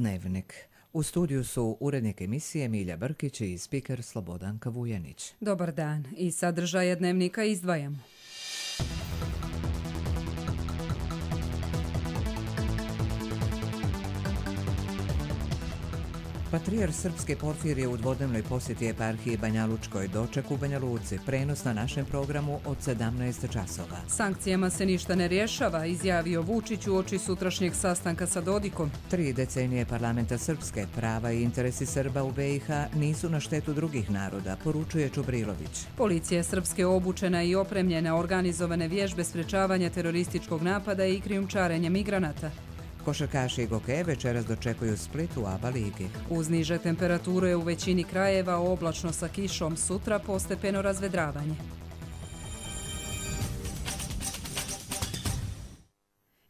Dnevnik. U studiju su urednik emisije Milja Brkić i spiker Slobodanka Vujanić. Dobar dan. Iz sadržaja Dnevnika izdvajamo. Patrijarh Srpske Porfirije u dvodnevnoj posjeti eparhiji Banjalučkoj, doček u Banja Luci, prenos na našem programu od 17 časova. Sankcijama se ništa ne rješava, izjavio Vučić uoči sutrašnjeg sastanka sa Dodikom. 3 decenije parlamenta Srpske, prava i interesi Srba u BiH nisu na štetu drugih naroda, poručuje Čubrilović. Policija Srpske obučena i opremljena, organizovane vježbe sprečavanja terorističkog napada i krijumčarenja migranata. Košarkaši i gokeje večeras dočekuju Split u ABA ligi. Uz niže temperature u većini krajeva, oblačno sa kišom, sutra postepeno razvedravanje.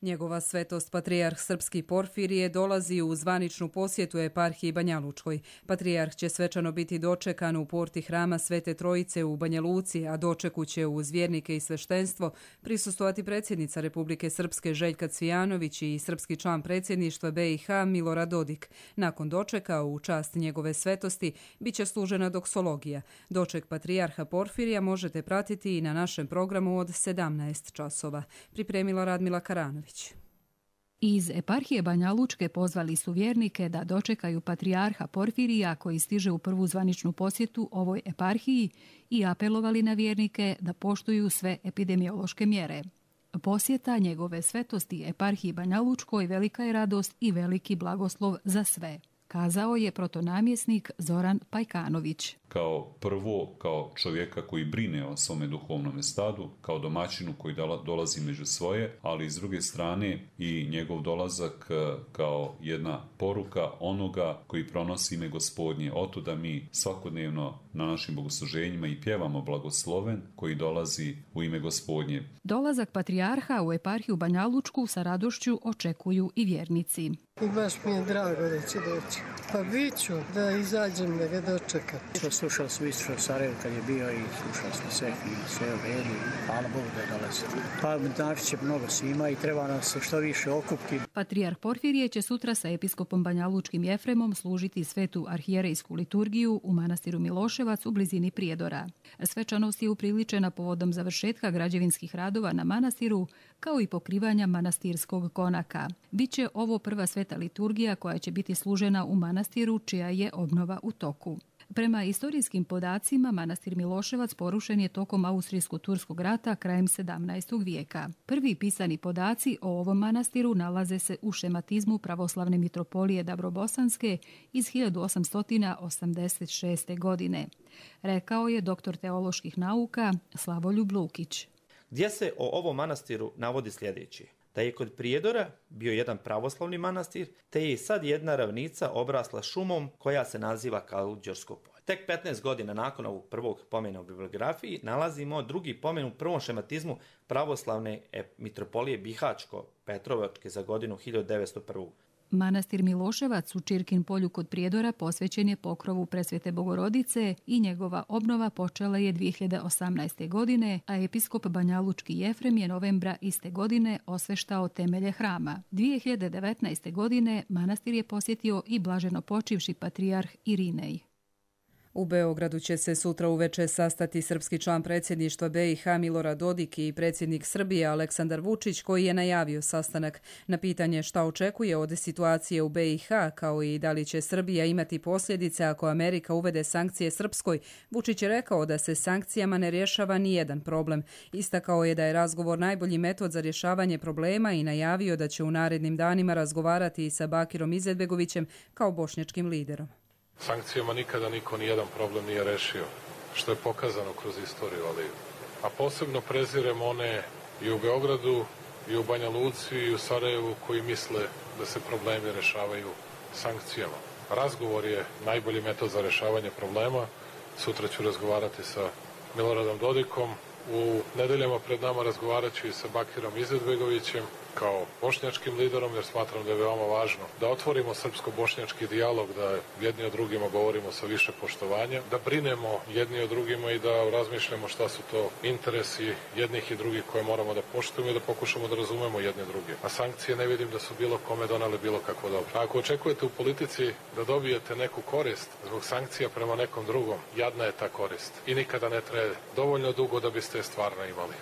Njegova svetost Patrijarh Srpski Porfirije dolazi u zvaničnu posjetu eparhiji Banjalučkoj. Patrijarh će svečano biti dočekan u porti hrama Svete Trojice u Banja Luci, a dočeku će uz vjernike i sveštenstvo prisustvovati predsjednica Republike Srpske Željka Cvijanović i srpski član predsjedništva BiH Milorad Dodik. Nakon dočeka u čast njegove svetosti bit će služena doksologija. Doček Patrijarha Porfirija možete pratiti i na našem programu od 17 časova. Pripremila Radmila Karanović. Iz eparhije Banjalučke pozvali su vjernike da dočekaju Patrijarha Porfirija koji stiže u prvu zvaničnu posjetu ovoj eparhiji i apelovali na vjernike da poštuju sve epidemiološke mjere. Posjeta njegove svetosti eparhiji Banjalučkoj velika je radost i veliki blagoslov za sve, kazao je protonamjesnik Zoran Pajkanović. Kao prvo, kao čovjeka koji brine o svome duhovnom stadu, kao domaćinu koji dolazi među svoje, ali s druge strane i njegov dolazak kao jedna poruka onoga koji pronosi ime Gospodnje. Oto da mi svakodnevno na našim bogosluženjima i pjevamo blagosloven koji dolazi u ime Gospodnje. Dolazak Patrijarha u eparhiju Banjalučku sa radošću očekuju i vjernici. I baš mi je drago da će doći. Pa bit ću da izađem da ga dočekam. Slušao sam isto Sarajevo kad je bio i slušao sam sve i sve u redu. Hvala Bogu da dolazi. Pa naći će mnogo svima i treba nas se što više okupiti. Patrijarh Porfirije će sutra sa episkopom Banjalučkim Jefremom služiti svetu arhijerejsku liturgiju u manastiru Miloševac u blizini Prijedora. Svečanost je upriličena povodom završetka građevinskih radova na manastiru, kao i pokrivanja manastirskog konaka. Biće ovo prva sveta liturgija koja će biti služena u manastiru čija je obnova u toku. Prema istorijskim podacima, manastir Miloševac porušen je tokom Austrijsko-turskog rata krajem 17. vijeka. Prvi pisani podaci o ovom manastiru nalaze se u šematizmu pravoslavne mitropolije Dabrobosanske iz 1886. godine. Rekao je doktor teoloških nauka Slavoljub Lukić. Gdje se o ovom manastiru navodi sljedeće: da je kod Prijedora bio jedan pravoslavni manastir, te je sad jedna ravnica obrasla šumom koja se naziva Kaluđersko polje. Tek 15 godina nakon ovog prvog pomena u bibliografiji nalazimo drugi pomen u prvom šematizmu pravoslavne mitropolije Bihačko-Petrovačke za godinu 1901. Manastir Miloševac u Čirkin polju kod Prijedora posvećen je pokrovu Presvete Bogorodice i njegova obnova počela je 2018. godine, a episkop Banjalučki Jefrem je novembra iste godine osveštao temelje hrama. 2019. godine manastir je posjetio i blaženo počivši patrijarh Irinej. U Beogradu će se sutra uveče sastati srpski član predsjedništva BiH Milorad Dodik i predsjednik Srbije Aleksandar Vučić, koji je najavio sastanak. Na pitanje šta očekuje od situacije u BiH, kao i da li će Srbija imati posljedice ako Amerika uvede sankcije Srpskoj, Vučić je rekao da se sankcijama ne rješava ni jedan problem. Istakao je da je razgovor najbolji metod za rješavanje problema i najavio da će u narednim danima razgovarati i sa Bakirom Izetbegovićem kao bošnjačkim liderom. Sankcijama nikada niko nijedan problem nije rešio, što je pokazano kroz istoriju, a posebno prezirem one i u Beogradu, i u Banja Luci, i u Sarajevu koji misle da se problemi rešavaju sankcijama. Razgovor je najbolji metod za rešavanje problema. Sutra ću razgovarati sa Miloradom Dodikom. U nedeljama pred nama razgovarat ću i sa Bakirom Izetbegovićem kao bošnjačkim liderom, jer smatram da je veoma važno da otvorimo srpsko-bošnjački dijalog, da jedni o drugima govorimo sa više poštovanja, da brinemo jedni o drugima i da razmišljamo šta su to interesi jednih i drugih koje moramo da poštujemo i da pokušamo da razumemo jedne druge. A sankcije ne vidim da su bilo kome donale bilo kako dobro. A ako očekujete u politici da dobijete neku korist zbog sankcija prema nekom drugom, jadna je ta korist i nikada ne traje dovoljno dugo da biste je stvarno imali.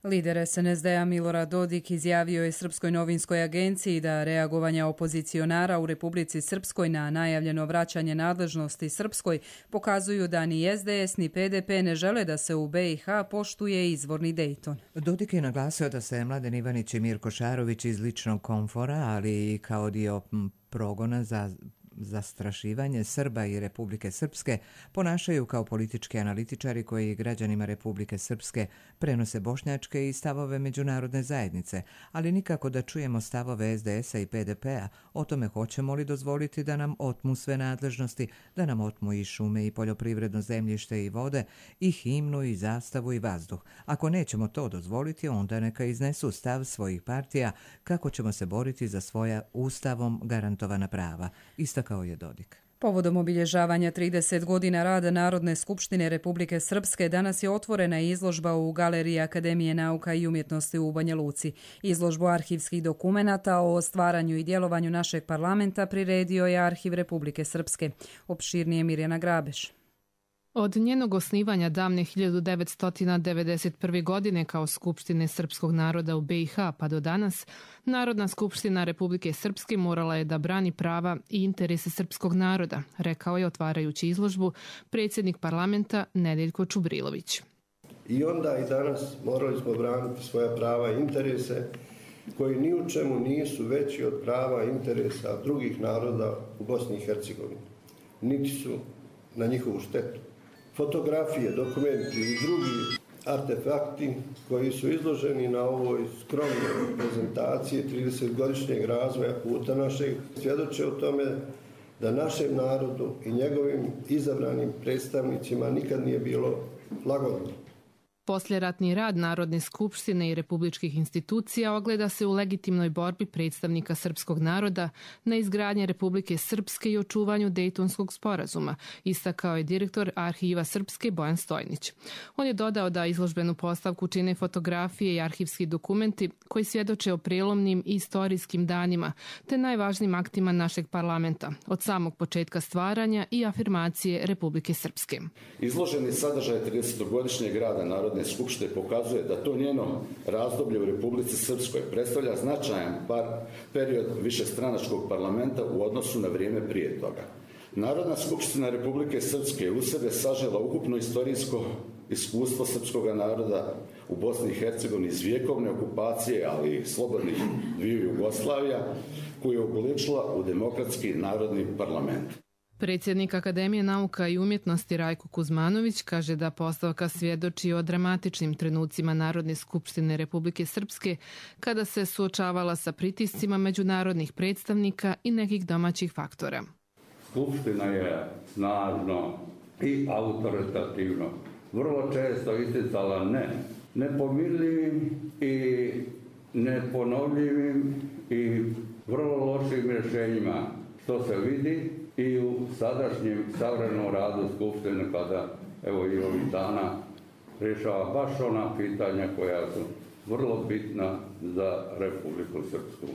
Lider SNSD-a Milorad Dodik izjavio je Srpskoj novinskoj agenciji da reagovanja opozicionara u Republici Srpskoj na najavljeno vraćanje nadležnosti Srpskoj pokazuju da ni SDS ni PDP ne žele da se u BiH poštuje izvorni Dejton. Dodik je naglasio da se Mladen Ivanić i Mirko Šarović iz ličnog komfora, ali i kao dio progona za zastrašivanje Srba i Republike Srpske ponašaju kao politički analitičari koji građanima Republike Srpske prenose bošnjačke i stavove međunarodne zajednice, ali nikako da čujemo stavove SDS-a i PDP-a o tome hoćemo li dozvoliti da nam otmu sve nadležnosti, da nam otmu i šume i poljoprivredno zemljište i vode, i himnu i zastavu i vazduh. Ako nećemo to dozvoliti, onda neka iznesu stav svojih partija kako ćemo se boriti za svoja ustavom garantovana prava, istakao je Dodik. Povodom obilježavanja 30 godina rada Narodne skupštine Republike Srpske danas je otvorena izložba u Galeriji Akademije nauka i umjetnosti u Banja Luci. Izložbu arhivskih dokumenata o stvaranju i djelovanju našeg parlamenta priredio je Arhiv Republike Srpske. Opširnije Mirjana Grabeš. Od njenog osnivanja davne 1991. godine kao Skupštine srpskog naroda u BiH pa do danas, Narodna skupština Republike Srpske morala je da brani prava i interese srpskog naroda, rekao je otvarajući izložbu predsjednik parlamenta Nedeljko Čubrilović. I onda i danas morali smo braniti svoja prava i interese koji ni u čemu nisu veći od prava i interesa drugih naroda u Bosni i Hercegovini, niti su na njihovu štetu. Fotografije, dokumenti i drugi artefakti koji su izloženi na ovoj skromnoj prezentaciji 30-godišnjeg razvoja puta našeg svjedoče o tome da našem narodu i njegovim izabranim predstavnicima nikad nije bilo lagodno. Posljeratni rad Narodne skupštine i republičkih institucija ogleda se u legitimnoj borbi predstavnika srpskog naroda na izgradnje Republike Srpske i očuvanju Dejtonskog sporazuma, istakao je direktor Arhiva Srpske Bojan Stojnić. On je dodao da izložbenu postavku čine fotografije i arhivski dokumenti koji svjedoče o prelomnim i istorijskim danima te najvažnijim aktima našeg parlamenta od samog početka stvaranja i afirmacije Republike Srpske. Izloženi sadržaj 30-godišnjeg rada Narodne skupštine pokazuje da to njeno razdoblje u Republici Srpskoj predstavlja značajan period višestranačkog parlamenta u odnosu na vrijeme prije toga. Narodna skupština Republike Srpske u sebe sažela ukupno istorijsko iskustvo srpskog naroda u Bosni i Hercegovini iz vjekovne okupacije, ali i slobodnih dviju Jugoslavija, koju je obličila u demokratski narodni parlament. Predsjednik Akademije nauka i umjetnosti Rajko Kuzmanović kaže da postavka svjedoči o dramatičnim trenucima Narodne skupštine Republike Srpske kada se suočavala sa pritiscima međunarodnih predstavnika i nekih domaćih faktora. Skupština je snažno i autoritativno vrlo često isticala nepomirljivim i neponovljivim i vrlo lošim rješenjima, što se vidi i u sadašnjem savremenom radu Skupštine kada evo i ovih dana rješava baš ona pitanja koja su vrlo bitna za Republiku Srpsku.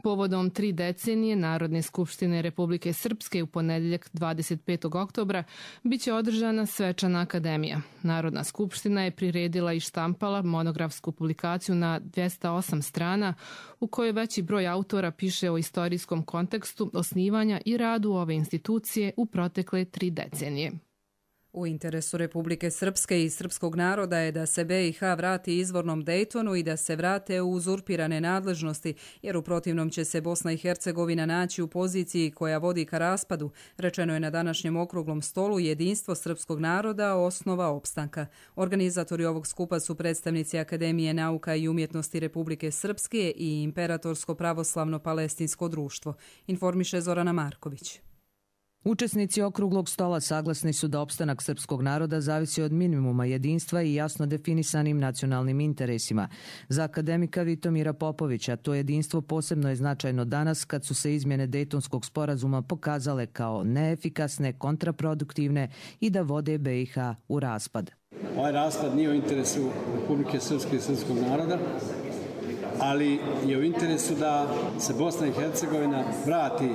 Povodom 3 decenije Narodne skupštine Republike Srpske u ponedjeljak 25. oktobra biće održana svečana akademija. Narodna skupština je priredila i štampala monografsku publikaciju na 208 strana u kojoj veći broj autora piše o istorijskom kontekstu osnivanja i radu ove institucije u protekle 3 decenije. U interesu Republike Srpske i srpskog naroda je da se BiH vrati izvornom Dejtonu i da se vrate u uzurpirane nadležnosti, jer u protivnom će se Bosna i Hercegovina naći u poziciji koja vodi ka raspadu, rečeno je na današnjem okruglom stolu Jedinstvo srpskog naroda, osnova opstanka. Organizatori ovog skupa su predstavnici Akademije nauka i umjetnosti Republike Srpske i Imperatorsko pravoslavno palestinsko društvo, informiše Zorana Marković. Učesnici okruglog stola saglasni su da opstanak srpskog naroda zavisi od minimuma jedinstva i jasno definisanim nacionalnim interesima. Za akademika Vitomira Popovića to jedinstvo posebno je značajno danas kad su se izmjene Dejtonskog sporazuma pokazale kao neefikasne, kontraproduktivne i da vode BiH u raspad. Ovaj raspad nije u interesu Republike Srpske i srpskog naroda, ali je u interesu da se Bosna i Hercegovina vrati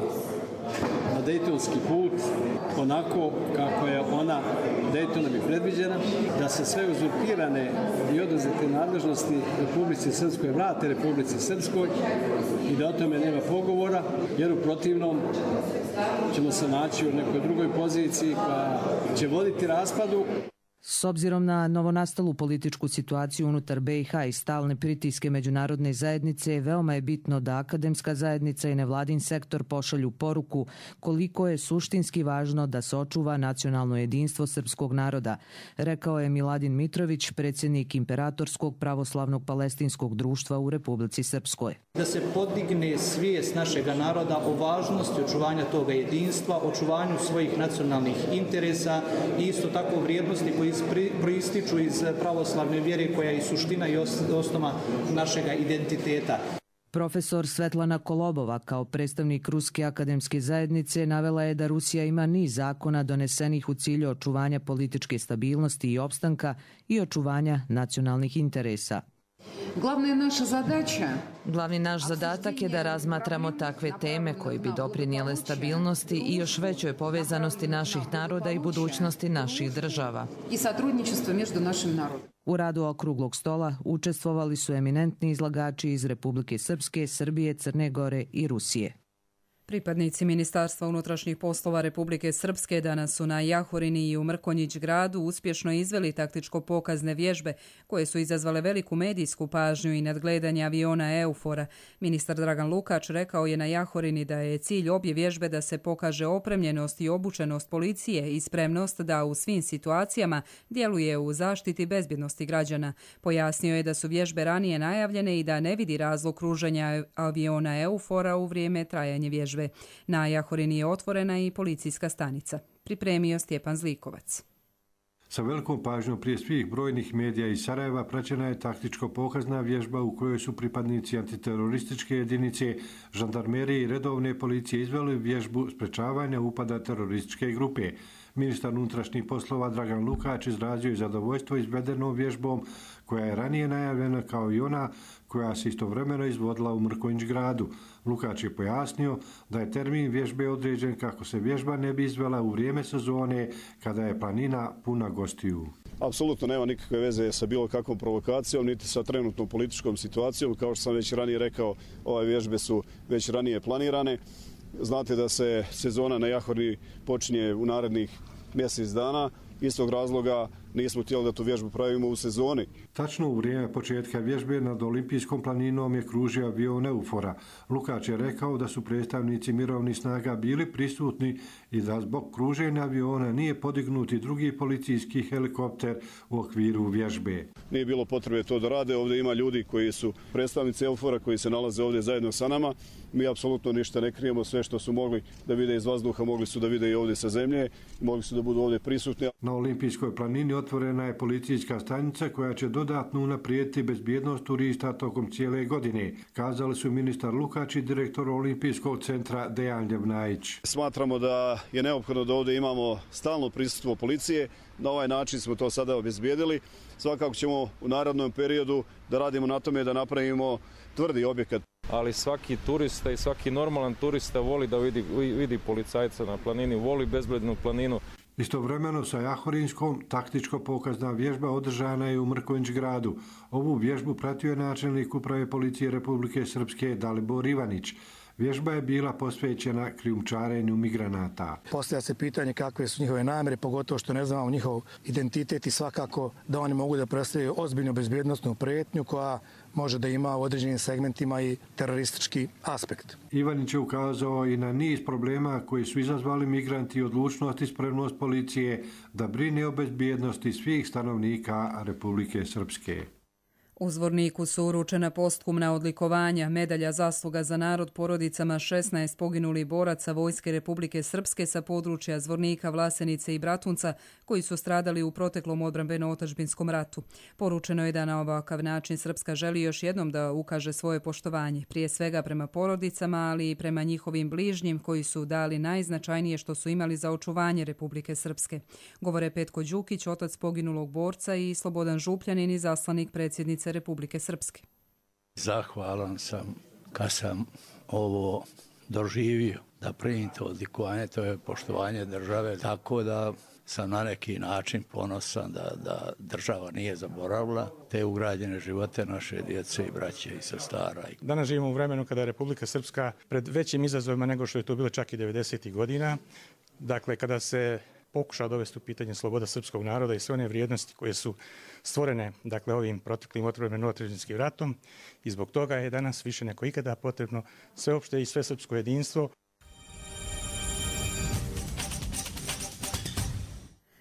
na dejtonski put onako kako je ona Dejtonom i predviđena, da se sve uzurpirane i oduzete nadležnosti Republici Srpskoj vrate Republici Srpskoj i da o tome nema pogovora, jer u protivnom ćemo se naći u nekoj drugoj poziciji koja će voditi raspadu. S obzirom na novonastalu političku situaciju unutar BiH i stalne pritiske međunarodne zajednice, veoma je bitno da akademska zajednica i nevladin sektor pošalju poruku koliko je suštinski važno da se očuva nacionalno jedinstvo srpskog naroda, rekao je Miladin Mitrović, predsjednik Imperatorskog pravoslavnog palestinskog društva u Republici Srpskoj. Da se podigne svijest našeg naroda o važnosti očuvanja toga jedinstva, očuvanju svojih nacionalnih interesa i isto tako vrijednosti koji proističu iz pravoslavne vjere koja je suština i osnova našeg identiteta. Profesor Svetlana Kolobova kao predstavnik Ruske akademske zajednice navela je da Rusija ima niz zakona donesenih u cilju očuvanja političke stabilnosti i opstanka i očuvanja nacionalnih interesa. Glavni naš zadatak je da razmatramo takve teme koji bi doprinijele stabilnosti i još većoj povezanosti naših naroda i budućnosti naših država. U radu okruglog stola učestvovali su eminentni izlagači iz Republike Srpske, Srbije, Crne Gore i Rusije. Pripadnici Ministarstva unutrašnjih poslova Republike Srpske danas su na Jahorini i u Mrkonjić gradu uspješno izveli taktičko-pokazne vježbe koje su izazvale veliku medijsku pažnju i nadgledanje aviona Eufora. Ministar Dragan Lukač rekao je na Jahorini da je cilj obje vježbe da se pokaže opremljenost i obučenost policije i spremnost da u svim situacijama djeluje u zaštiti bezbjednosti građana. Pojasnio je da su vježbe ranije najavljene i da ne vidi razlog kruženja aviona Eufora u vrijeme trajanja vježbe. Na Jahorini je otvorena i policijska stanica. Pripremio Stjepan Zlikovac. Sa velikom pažnjom prije svih brojnih medija iz Sarajeva praćena je taktičko-pokazna vježba u kojoj su pripadnici antiterorističke jedinice, žandarmerije i redovne policije izveli vježbu sprečavanja upada terorističke grupe. Ministar unutrašnjih poslova Dragan Lukač izrazio je zadovoljstvo izvedenom vježbom koja je ranije najavljena kao i ona koja se istovremeno izvodila u Mrkonjić gradu. Lukač je pojasnio da je termin vježbe određen kako se vježba ne bi izvela u vrijeme sezone kada je planina puna gostiju. Apsolutno nema nikakve veze sa bilo kakvom provokacijom, niti sa trenutnom političkom situacijom. Kao što sam već ranije rekao, ove vježbe su već ranije planirane. Znate da se sezona na Jahorini počinje u narednih mjesec dana. Iz tog razloga nismo htjeli da tu vježbu pravimo u sezoni. Tačno u vrijeme početka vježbe nad Olimpijskom planinom je kružio avion Eufora. Lukač je rekao da su predstavnici mirovnih snaga bili prisutni i da zbog kruženja aviona nije podignuti drugi policijski helikopter u okviru vježbe. Nije bilo potrebe to da rade. Ovdje ima ljudi koji su predstavnici Eufora koji se nalaze ovdje zajedno sa nama. Mi apsolutno ništa ne krijemo, sve što su mogli da vide iz vazduha, mogli su da vide i ovdje sa zemlje, mogli su da budu ovdje prisutni. Na Olimpijskoj planini otvorena je policijska stanica koja će dodatno unaprijediti bezbjednost turista tokom cijele godine, kazali su ministar Lukač i direktor Olimpijskog centra Dejan Ljevnajić. Smatramo da je neophodno da ovdje imamo stalno prisustvo policije. Na ovaj način smo to sada obezbijedili. Svakako ćemo u narednom periodu da radimo na tome da napravimo tvrdi objekat. Ali svaki turista i svaki normalan turista voli da vidi policajca na planini, voli bezbednu planinu. Istovremeno sa Jahorinskom taktičko-pokazna vježba održana je u Mrkonjić gradu. Ovu vježbu pratio je načelnik uprave policije Republike Srpske Dalibor Ivanić. Vježba je bila posvećena krijumčarenju migranata. Postavlja se pitanje kakve su njihove namjere, pogotovo što ne znamo njihov identitet i svakako da oni mogu da predstavljaju ozbiljnu bezbjednosnu prijetnju koja može da ima u određenim segmentima i teroristički aspekt. Ivanić je ukazao i na niz problema koji su izazvali migranti i odlučnost i spremnost policije da brine o bezbjednosti svih stanovnika Republike Srpske. U Zvorniku su uručena postkumna odlikovanja, medalja zasluga za narod porodicama 16 poginulih boraca Vojske Republike Srpske sa područja Zvornika, Vlasenice i Bratunca koji su stradali u proteklom odbrambeno-otadžbinskom ratu. Poručeno je da na ovakav način Srpska želi još jednom da ukaže svoje poštovanje, prije svega prema porodicama, ali i prema njihovim bližnjim koji su dali najznačajnije što su imali za očuvanje Republike Srpske. Govore Petko Đukić, otac poginulog borca, i Slobodan Župljanin, izaslanik predsjednice Republike Srpske. Zahvalan sam kad sam ovo doživio, da primim to odlikovanje, to je poštovanje države, tako da sam na neki način ponosan da država nije zaboravila te ugrađene živote naše djece i braće i sestara. Danas živimo u vremenu kada je Republika Srpska pred većim izazovima nego što je to bilo čak i 90. godina. Dakle, kada se pokuša dovesti u pitanje sloboda srpskog naroda i sve one vrijednosti koje su stvorene, dakle, ovim proteklim odbrambeno-otadžbinskim ratom, i zbog toga je danas više nego ikada potrebno sveopšte i svesrpsko jedinstvo.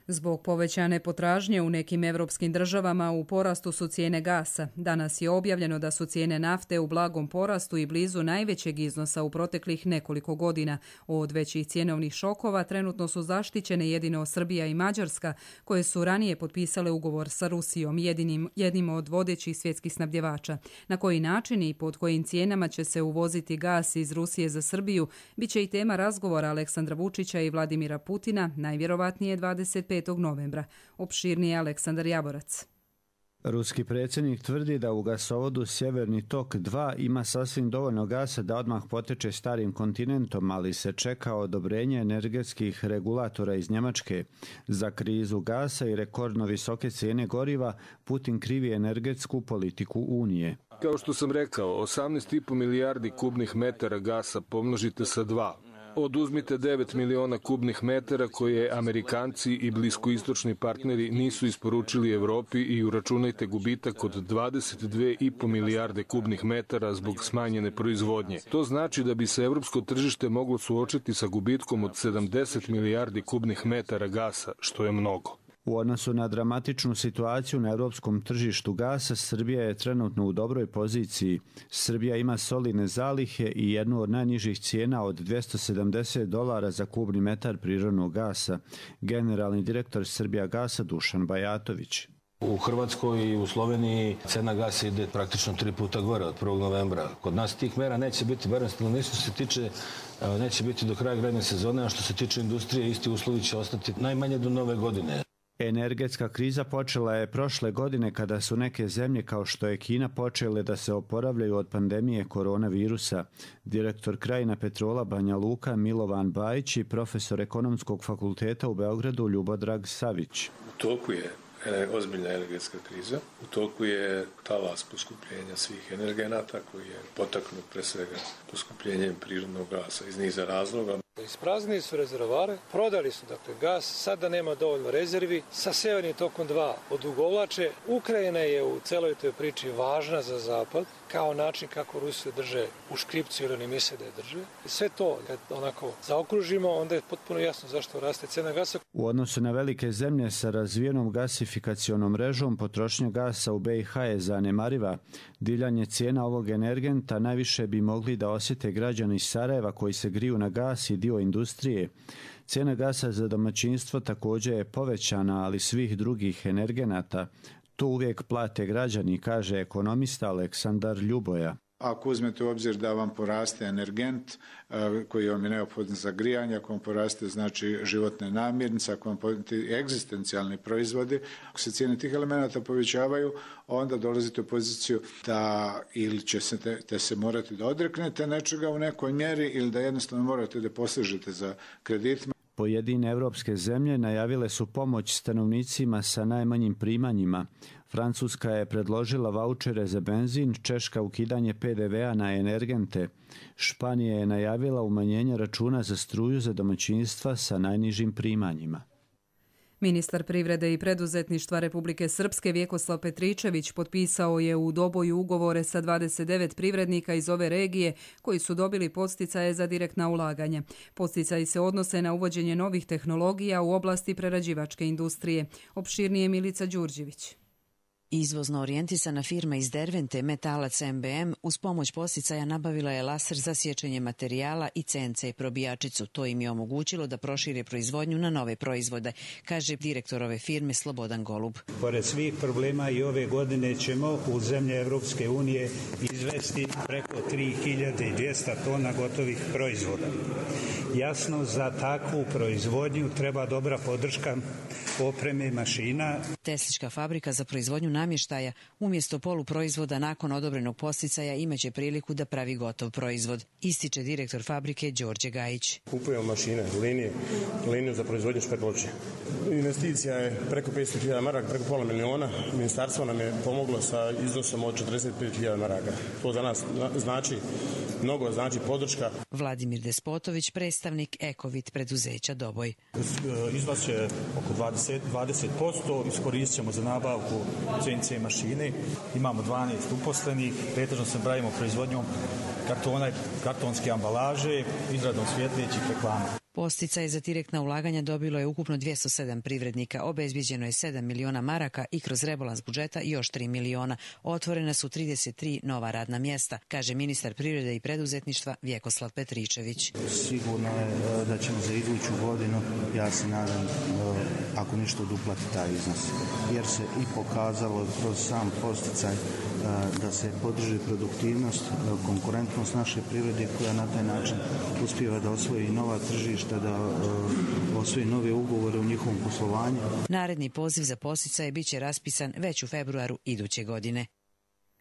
Zbog povećane potražnje u nekim evropskim državama u porastu su cijene gasa. Danas je objavljeno da su cijene nafte u blagom porastu i blizu najvećeg iznosa u proteklih nekoliko godina. Od većih cjenovnih šokova trenutno su zaštićene jedino Srbija i Mađarska, koje su ranije potpisale ugovor sa Rusijom, jednim od vodećih svjetskih snabdjevača. Na koji način i pod kojim cijenama će se uvoziti gas iz Rusije za Srbiju biće i tema razgovora Aleksandra Vučića i Vladimira Putina, najvjerovatnije 25. novembra. Opširnije Aleksandar Jaborac. Ruski predsjednik tvrdi da u gasovodu Sjeverni tok 2 ima sasvim dovoljno gasa da odmah poteče starim kontinentom, ali se čeka odobrenje energetskih regulatora iz Njemačke. Za krizu gasa i rekordno visoke cijene goriva Putin krivi energetsku politiku Unije. Kao što sam rekao, 18,5 milijardi kubnih metara gasa pomnožite sa 2. Oduzmite 9 miliona kubnih metara koje Amerikanci i bliskoistočni partneri nisu isporučili Evropi i uračunajte gubitak od 22,5 milijarde kubnih metara zbog smanjene proizvodnje. To znači da bi se evropsko tržište moglo suočiti sa gubitkom od 70 milijardi kubnih metara gasa, što je mnogo. U odnosu na dramatičnu situaciju na europskom tržištu gasa, Srbija je trenutno u dobroj poziciji. Srbija ima solidne zalihe i jednu od najnižih cijena od $270 za kubni metar prirodnog gasa. Generalni direktor Srbija gasa Dušan Bajatović. U Hrvatskoj i u Sloveniji cena gasa ide praktično 3 puta gore od 1. novembra. Kod nas tih mera neće biti, barem stanovništvo se tiče, neće biti do kraja grejne sezone, a što se tiče industrije, isti uslovi će ostati najmanje do nove godine. Energetska kriza počela je prošle godine kada su neke zemlje kao što je Kina počele da se oporavljaju od pandemije koronavirusa. Direktor Krajina Petrola Banja Luka Milovan Bajić i profesor Ekonomskog fakulteta u Beogradu Ljubodrag Savić. U toku je ozbiljna energetska kriza, u toku je talas poskupljenja svih energenata koji je potaknut pre svega poskupljenjem prirodnog gasa iz niza razloga. Ispraznili su rezervoare, prodali su dakle gas, sada nema dovoljno rezervi, sa Severnim tokom 2 odugovlače. Ukrajina je u celoj toj priči važna za Zapad, kao način kako Rusiju drže u škripcu jer oni misle da je drže. I sve to, kad onako zaokružimo, onda je potpuno jasno zašto raste cena gasa. U odnosu na velike zemlje sa razvijenom gasifikacionom mrežom, potrošnja gasa u BiH je zanemariva. Divljanje cijena ovog energenta najviše bi mogli da osjete građani iz Sarajeva koji se griju na gas i dio industrije. Cijena gasa za domaćinstvo također je povećana, ali svih drugih energenata. To uvijek plate građani, kaže ekonomista Aleksandar Ljuboja. Ako uzmete u obzir da vam poraste energent koji vam je neophodan za grijanje, ako vam poraste znači životne namirnice, ako vam poraste egzistencijalni proizvodi, ako se cijene tih elemenata povećavaju, onda dolazite u poziciju da ili ćete se morati da odreknete nečega u nekoj mjeri ili da jednostavno morate da posežete za kreditima. Pojedine evropske zemlje najavile su pomoć stanovnicima sa najmanjim primanjima. Francuska je predložila vaučere za benzin, Češka ukidanje PDV-a na energente. Španija je najavila umanjenje računa za struju za domaćinstva sa najnižim primanjima. Ministar privrede i preduzetništva Republike Srpske Vjekoslav Petričević potpisao je u Doboju ugovore sa 29 privrednika iz ove regije koji su dobili podsticaje za direktna ulaganja. Podsticaji se odnose na uvođenje novih tehnologija u oblasti prerađivačke industrije. Opširnije Milica Đurđević. Izvozno orijentisana firma iz Dervente Metalac MBM uz pomoć podsticaja nabavila je laser za sječenje materijala i CNC probijačicu. To im je omogućilo da prošire proizvodnju na nove proizvode, kaže direktor ove firme Slobodan Golub. Pored svih problema i ove godine ćemo u zemlje Evropske unije izvesti preko 3200 tona gotovih proizvoda. Jasno, za takvu proizvodnju treba dobra podrška opreme i mašina. Teslička fabrika za proizvodnju namještaja umjesto poluproizvoda nakon odobrenog podsticaja imaće priliku da pravi gotov proizvod, ističe direktor fabrike Đorđe Gajić. Kupujemo mašine, liniju za proizvodnju špetloče. Investicija je preko 500.000 maraka, preko pola miliona. Ministarstvo nam je pomoglo sa iznosom od 45.000 maraka. To za nas znači mnogo, znači podrška. Vladimir Despotović, predstavnik Ekovit preduzeća Doboj. Iznos je oko 20%, iskoristit ćemo za nabavku CNC mašine. Imamo 12 uposlenih, pretežno se bavimo proizvodnjom kartona i kartonske ambalaže, izradom svjetlećih reklama. Posticaj za direktna ulaganja dobilo je ukupno 207 privrednika, obezbiđeno je 7 miliona maraka i kroz rebalans budžeta još 3 miliona. Otvorena su 33 nova radna mjesta, kaže ministar privrede i preduzetništva Vjekoslav Petričević. Sigurno je da ćemo za iduću godinu, ja se nadam, ako ništa duplati taj iznos, jer se i pokazalo kroz sam posticaj da se podrži produktivnost, konkurentnost naše privrede koja na taj način uspijeva da osvoji nova tržišta, da osvoji nove ugovore u njihovom poslovanju. Naredni poziv za podsticaje biće raspisan već u februaru iduće godine.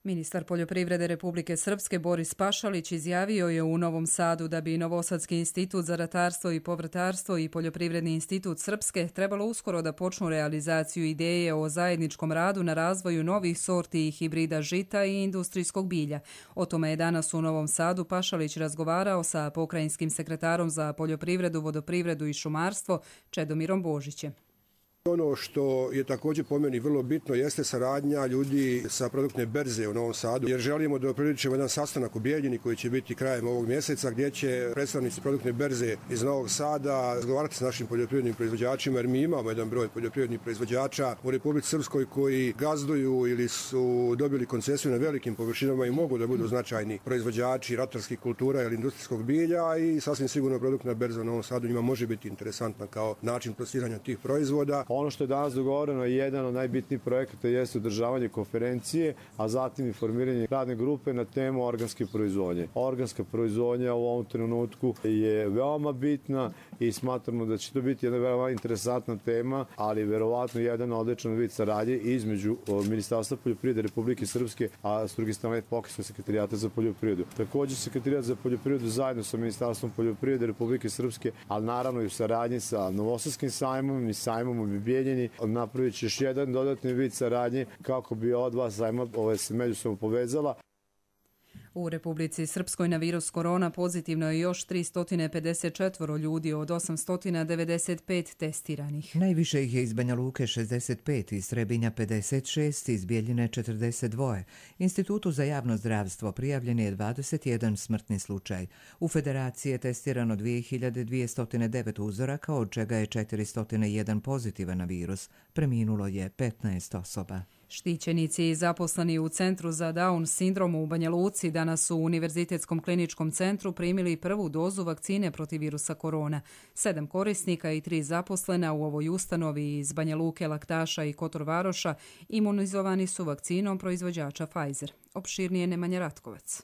Ministar poljoprivrede Republike Srpske Boris Pašalić izjavio je u Novom Sadu da bi Novosadski institut za ratarstvo i povrtarstvo i Poljoprivredni institut Srpske trebalo uskoro da počnu realizaciju ideje o zajedničkom radu na razvoju novih sorti i hibrida žita i industrijskog bilja. O tome je danas u Novom Sadu Pašalić razgovarao sa pokrajinskim sekretarom za poljoprivredu, vodoprivredu i šumarstvo Čedomirom Božićem. Ono što je također po meni vrlo bitno jeste saradnja ljudi sa produktne berze u Novom Sadu, jer želimo da priličimo jedan sastanak u Bijeljini koji će biti krajem ovog mjeseca, gdje će predstavnici produktne berze iz Novog Sada razgovarati s našim poljoprivrednim proizvođačima, jer mi imamo jedan broj poljoprivrednih proizvođača u Republici Srpskoj koji gazduju ili su dobili koncesiju na velikim površinama i mogu da budu značajni proizvođači ratarskih kultura ili industrijskog bilja i sasvim sigurno produktna berza u Novom Sadu njima može biti interesantna kao način plasiranja tih proizvoda. Ono što je danas dogovoreno je jedan od najbitnijih projekata jeste održavanje konferencije, a zatim i formiranje radne grupe na temu organske proizvodnje. Organska proizvodnja u ovom trenutku je veoma bitna i smatramo da će to biti jedna veoma interesantna tema, ali verovatno jedan odličan vid saradnje između Ministarstva poljoprivrede Republike Srpske, a s druge strane Pokrajinskog sekretarijata za poljoprivredu. Također sekretarijat za poljoprivredu zajedno sa Ministarstvom poljoprivrede Republike Srpske, ali naravno i u saradnji sa Novosadskim sajmom i sajmom u Bijeljini, napravit će još jedan dodatni vid saradnje kako bi ova dva sajma se međusobno povezala. U Republici Srpskoj na virus korona pozitivno je još 354 ljudi od 895 testiranih. Najviše ih je iz Banja Luke 65, iz Trebinja 56, iz Bijeljine 42. Institutu za javno zdravstvo prijavljen je 21 smrtni slučaj. U Federaciji je testirano 2209 uzoraka, od čega je 401 pozitivan na virus. Preminulo je 15 osoba. Štićenici i zaposleni u Centru za Down sindrom u Banja Luci danas u Univerzitetskom kliničkom centru primili prvu dozu vakcine protiv virusa korona. 7 korisnika i 3 zaposlena u ovoj ustanovi iz Banja Luke, Laktaša i Kotor Varoša imunizovani su vakcinom proizvođača Pfizer. Opširnije Nemanja Ratkovac.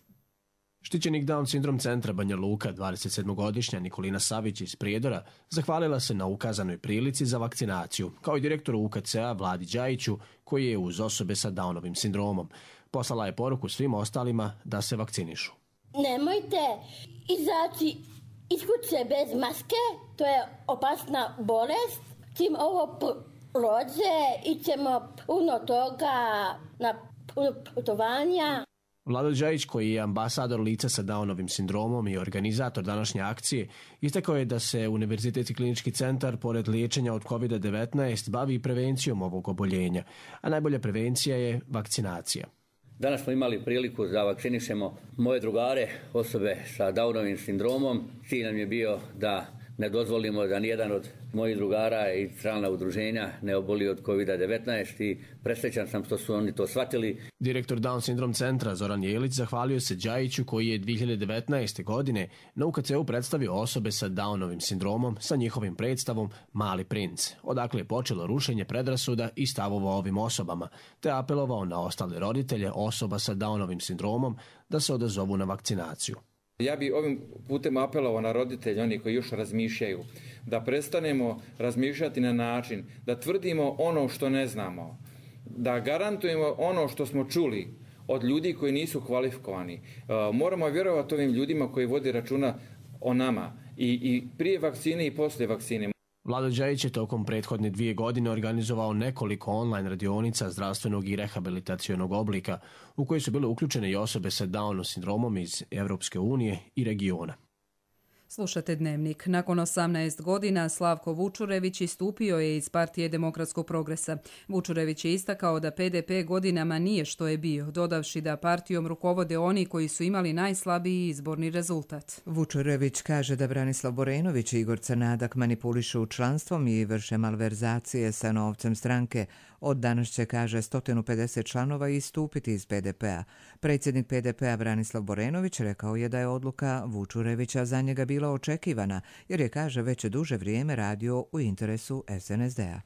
Štićenik Down sindrom centra Banja Luka, 27-godišnja Nikolina Savić iz Prijedora, zahvalila se na ukazanoj prilici za vakcinaciju, kao i direktoru UKC-a Vladi Đajiću, koji je uz osobe sa Downovim sindromom. Poslala je poruku svim ostalima da se vakcinišu. Nemojte izaći iz kuće bez maske, to je opasna bolest. Čim ovo prođe, ićemo puno toga na putovanja. Vlado Đajić, koji je ambasador lica sa Downovim sindromom i organizator današnje akcije, istakao je da se Univerzitetski klinički centar, pored liječenja od COVID-19, bavi prevencijom ovog oboljenja, a najbolja prevencija je vakcinacija. Danas smo imali priliku da vakcinišemo moje drugare, osobe sa Downovim sindromom. Cilj nam je bio da ne dozvolimo da nijedan od mojih drugara i člana udruženja ne oboli od COVID-19 i presrećan sam što su oni to shvatili. Direktor Down sindrom centra Zoran Jelić zahvalio se Đajiću koji je 2019. godine na UKC-u predstavio osobe sa Downovim sindromom sa njihovim predstavom Mali princ, odakle je počelo rušenje predrasuda i stavova o ovim osobama, te apelovao na ostale roditelje osoba sa Downovim sindromom da se odazovu na vakcinaciju. Ja bi ovim putem apelovao na roditelje, oni koji još razmišljaju, da prestanemo razmišljati na način da tvrdimo ono što ne znamo, da garantujemo ono što smo čuli od ljudi koji nisu kvalifikovani. Moramo vjerovati ovim ljudima koji vode računa o nama i prije vakcine i poslije vakcine. Vlado Đajić je tokom prethodne 2 godine organizovao nekoliko online radionica zdravstvenog i rehabilitacionog oblika u koji su bile uključene i osobe sa Downom sindromom iz Evropske unije i regiona. Slušate Dnevnik. Nakon 18 godina Slavko Vučurević istupio je iz Partije demokratskog progresa. Vučurević je istakao da PDP godinama nije što je bio, dodavši da partijom rukovode oni koji su imali najslabiji izborni rezultat. Vučurević kaže da Branislav Borenović i Igor Crnadak manipulišu članstvom i vrše malverzacije sa novcem stranke. Od danas će, kaže, 150 članova istupiti iz PDP-a. Predsjednik PDP-a Branislav Borenović rekao je da je odluka Vučurevića za njega bila očekivana, jer je, kaže, već duže vrijeme radio u interesu SNSD-a.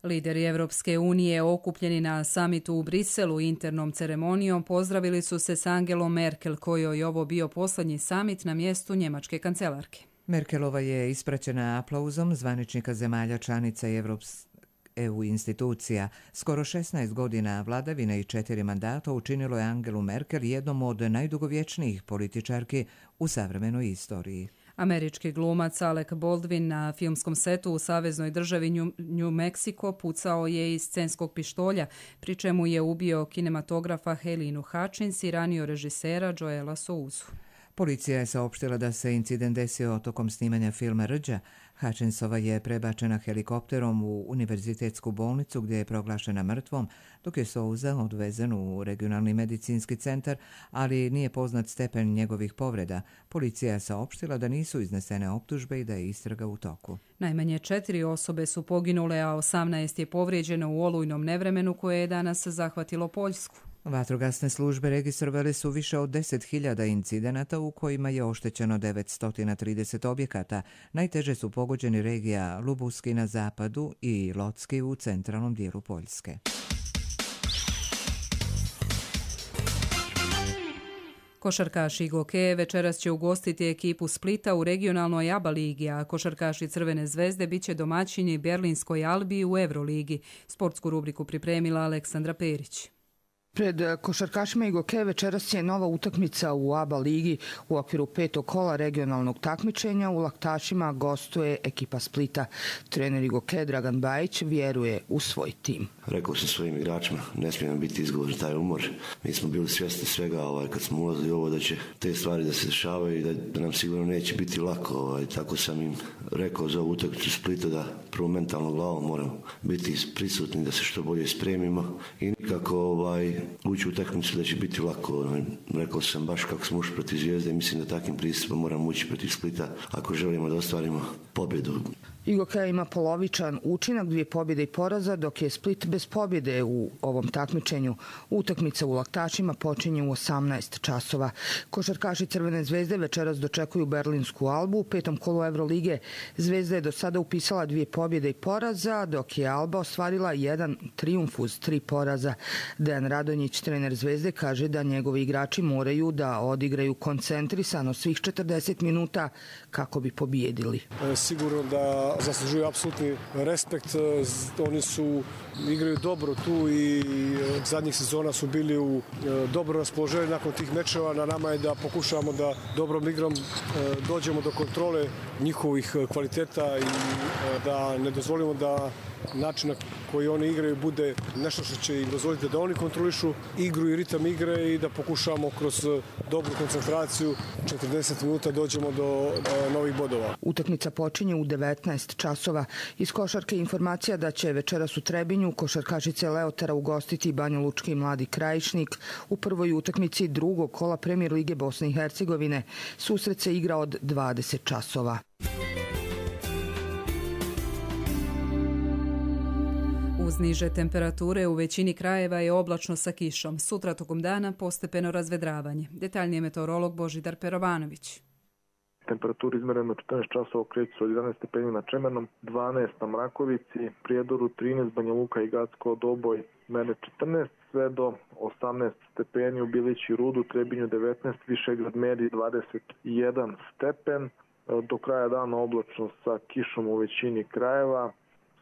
Lideri Evropske unije okupljeni na samitu u Briselu internom ceremonijom pozdravili su se s Angelom Merkel, kojoj je ovo bio posljednji samit na mjestu njemačke kancelarke. Merkelova je ispraćena aplauzom zvaničnika zemalja članica EU institucija. Skoro 16 godina vladavine i 4 mandata učinilo je Angelu Merkel jednom od najdugovječnijih političarki u savremenoj istoriji. Američki glumac Alec Baldwin na filmskom setu u saveznoj državi New Mexico pucao je iz scenskog pištolja, pri čemu je ubio kinematografa Helenu Hutchins i ranio režisera Joela Souzu. Policija je saopštila da se incident desio tokom snimanja filma Rđa. Hutchinsova je prebačena helikopterom u univerzitetsku bolnicu gdje je proglašena mrtvom, dok je Souza odvezen u regionalni medicinski centar, ali nije poznat stepen njegovih povreda. Policija je saopštila da nisu iznesene optužbe i da je istraga u toku. Najmanje 4 osobe su poginule, a 18 je povrijeđeno u olujnom nevremenu koje je danas zahvatilo Poljsku. Vatrogasne službe registrovali su više od 10.000 incidenata u kojima je oštećeno 930 objekata. Najteže su pogođeni regija Lubuski na zapadu i Locki u centralnom dijelu Poljske. Košarkaši Gokeje večeras će ugostiti ekipu Splita u regionalnoj ABA ligi, a košarkaši Crvene zvezde bit će domaćini Berlinskoj Albi u Euroligi. Sportsku rubriku pripremila Aleksandra Perić. Pred košarkašima Igoke večeras je nova utakmica u ABA ligi u okviru 5. kola regionalnog takmičenja. U Laktašima gostuje ekipa Splita. Trener Igoke Dragan Bajić vjeruje u svoj tim. Rekao sam svojim igračima, ne smije nam biti izgovor za taj umor. Mi smo bili svjesni svega kad smo ulazili ovo da će te stvari da se dešavaju i da nam sigurno neće biti lako. Tako sam im rekao za ovu utakmicu Splita da prvo mentalno glavom moramo biti prisutni, da se što bolje spremimo i nikako ući u utakmicu da će biti lako. Rekao sam baš kako smo ušli protiv Zvijezde i mislim da takvim pristupom moramo ući protiv Splita ako želimo da ostvarimo pobjedu. Igoke ima polovičan učinak, 2 pobjede i poraza, dok je Split bez pobjede u ovom takmičenju. Utakmica u Laktašima počinje u 18 časova. Košarkaši Crvene zvezde večeras dočekuju Berlinsku Albu. U 5. kolu Evrolige Zvezda je do sada upisala 2 pobjede i poraza, dok je Alba ostvarila 1 trijumf uz 3 poraza. Dejan Radonjić, trener Zvezde, kaže da njegovi igrači moraju da odigraju koncentrisano svih 40 minuta kako bi pobijedili. Sigurno da zaslužuju apsolutni respekt. Oni igraju dobro tu i zadnjih sezona su bili u dobro raspoloženju nakon tih mečeva. Na nama je da pokušavamo da dobrom igrom dođemo do kontrole njihovih kvaliteta i da ne dozvolimo da način na koji oni igraju bude nešto što će im dozvoliti da oni kontrolišu igru i ritam igre i da pokušamo kroz dobru koncentraciju 40 minuta dođemo do novih bodova. Utakmica počinje u 19 18 časova. Iz košarke informacija da će večeras u Trebinju košarkašice Leotara ugostiti banjalučki Mladi Krajišnik u prvoj utakmici drugog kola Premijer lige Bosne i Hercegovine. Susret se igra od 20 časova. Uz niže temperature u većini krajeva je oblačno sa kišom. Sutra tokom dana postepeno razvedravanje. Detaljnije meteorolog Božidar Perovanović. Temperatura izmerena 14 časova kreće se od 11 stepeni na Čemernom, 12 na Mrakovici, Prijedoru 13, Banja Luka i Gacko, Doboj, Mene 14, sve do 18 stepeni u Bilići Rudu, Trebinju 19, Višegrad meri 21 stepen. Do kraja dana oblačno sa kišom u većini krajeva.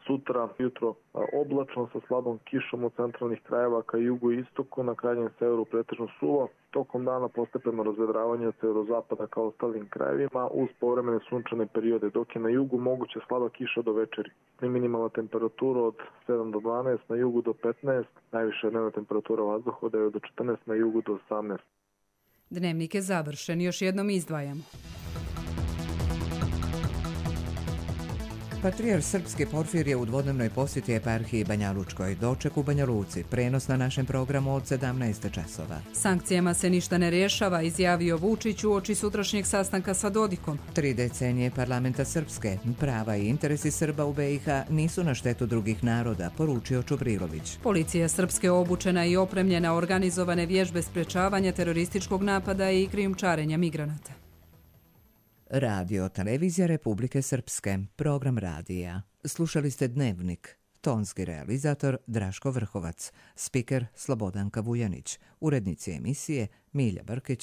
Sutra jutro oblačno sa slabom kišom od centralnih krajeva ka jugu i istoku, na krajnjem severu pretežno suvo. Tokom dana postepeno razvedravanje od severozapada ka ostalim krajevima uz povremene sunčane periode, dok je na jugu moguća slaba kiša do večeri. Minimalna temperatura od 7 do 12, na jugu do 15, najviša dnevna temperatura vazduha od 9 do 14, na jugu do 18. Dnevnik je završen, još jednom izdvajamo. Patrijarh srpski Porfirije u dvodnevnoj posjeti eparhiji Banja Lučkoj. Doček u Banja Luci. Prenos na našem programu od 17 časova. Sankcijama se ništa ne rješava, izjavio Vučić uoči sutrašnjeg sastanka sa Dodikom. 3 decenije parlamenta Srpske. Prava i interesi Srba u BiH nisu na štetu drugih naroda, poručio Čubrilović. Policija Srpske obučena i opremljena organizovane vježbe sprečavanja terorističkog napada i krijumčarenja migranata. Radio Televizija Republike Srpske, program radija. Slušali ste Dnevnik. Tonski realizator Draško Vrhovac, spiker Slobodanka Vujanić, urednici emisije Milja Brkić